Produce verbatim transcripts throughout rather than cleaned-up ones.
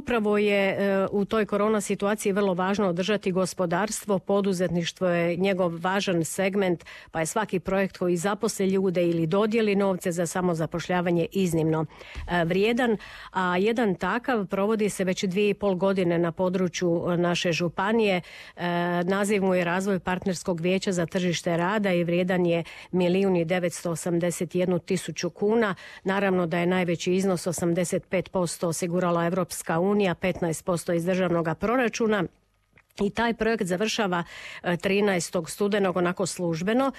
upravo je u toj korona situaciji vrlo važno održati gospodarstvo, poduzetništvo je njegov važan segment, pa je svaki projekt koji zaposli ljude ili dodijeli novce za samozapošljavanje iznimno vrijedan, a jedan takav provodi se već dvije i pol godine na području naše županije. Naziv mu je Razvoj partnerskog vijeća za tržište rada i vrijedan je milijun i devetsto osamdeset jednu tisuću kuna. Naravno da je najveći iznos osamdeset pet posto osigurala Europska unija, petnaest posto iz državnog proračuna. I taj projekt završava trinaestog studenog onako službeno.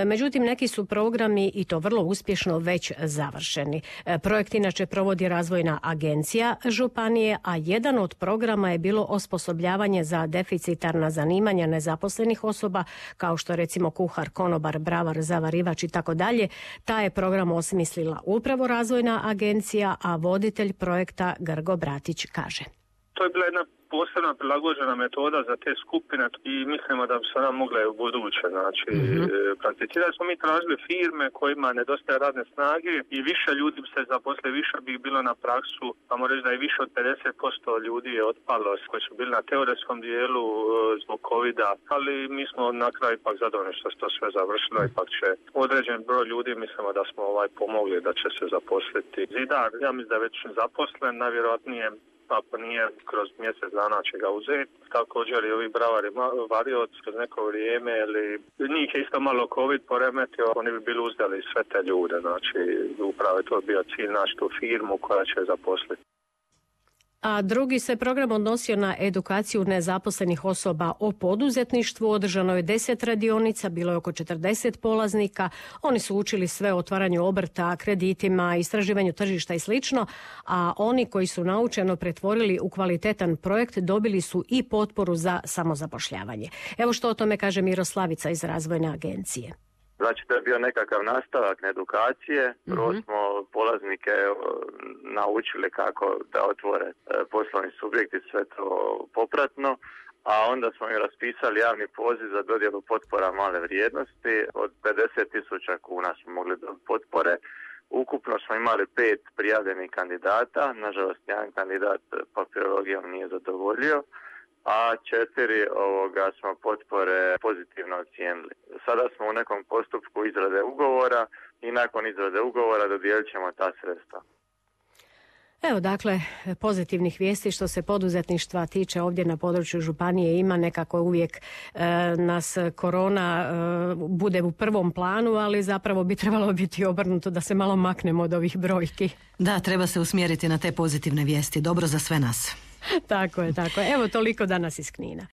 Međutim, neki su programi i to vrlo uspješno već završeni. Projekt inače provodi Razvojna agencija županije, a jedan od programa je bilo osposobljavanje za deficitarna zanimanja nezaposlenih osoba, kao što recimo kuhar, konobar, bravar, zavarivač i tako dalje. Taj je program osmislila upravo Razvojna agencija, a voditelj projekta Grgo Bratić kaže. To je bila jedna posebna prilagođena metoda za te skupine i mislimo da bi se ona mogla u buduće. Znači, mm-hmm. prakticirali smo mi tražili firme kojima nedostaje radne snage i više ljudi bi se zaposlili, više bi bilo na praksu, pa moram reći da je više od pedeset posto ljudi je otpalo koji su bili na teoretskom dijelu zbog covida, ali mi smo na kraju ipak zadovoljni što se to sve završilo, ipak će određen broj ljudi, mislimo da smo ovaj pomogli da će se zaposliti. Zidar, ja mislim da je već zaposlen, najvjerojatnije ako nije kroz mjesec dana će ga uzeti. Također i ovi bravari varioci kroz neko vrijeme, ili njih je isto malo COVID poremetio, oni bi bili uzdali sve te ljude, znači upravo je to bio cilj naći tu firmu koja će zaposliti. A drugi se program odnosio na edukaciju nezaposlenih osoba o poduzetništvu. Održano je deset radionica, bilo je oko četrdeset polaznika. Oni su učili sve o otvaranju obrta, kreditima, istraživanju tržišta i slično, a oni koji su naučeno pretvorili u kvalitetan projekt dobili su i potporu za samozapošljavanje. Evo što o tome kaže Miroslavica iz Razvojne agencije. Znači to je bio nekakav nastavak edukacije. Prvo mm-hmm. smo polaznike naučili kako da otvore poslovni subjekti, sve to popratno, a onda smo im raspisali javni poziv za dodjelu potpora male vrijednosti. Od pedeset tisuća kuna smo mogli dobiti potpore. Ukupno smo imali pet prijavljenih kandidata, nažalost jedan kandidat papirologijom nije zadovoljio, a četiri ovoga smo potpore pozitivno ocijenili. Sada smo u nekom postupku izrade ugovora i nakon izrade ugovora dodijelit ćemo ta sredstva. Evo dakle, pozitivnih vijesti što se poduzetništva tiče ovdje na području županije ima. Nekako uvijek e, nas korona e, bude u prvom planu, ali zapravo bi trebalo biti obrnuto da se malo maknemo od ovih brojki. Da, treba se usmjeriti na te pozitivne vijesti. Dobro za sve nas. Tako je, tako je. Evo toliko danas iz Knina.